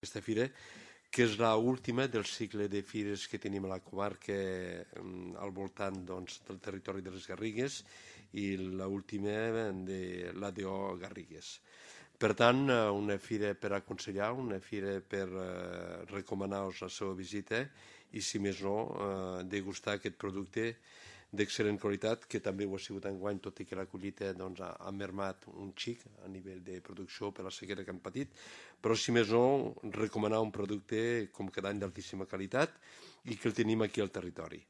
aquesta fira, que és l'última del cicle de fires que tenim a la comarca al voltant del territori de les Garrigues i l'última de l'ADO Garrigues. Per tant, una fira per aconsellar, una fira per recomanar-vos la seva visita i, si més no, degustar aquest producte d'excel·lent qualitat, que també ho ha sigut enguany, tot i que la collita ha mermat un xic a nivell de producció per la sequera que han patit, però si més no, recomanar un producte com cada any d'altíssima qualitat i que el tenim aquí al territori.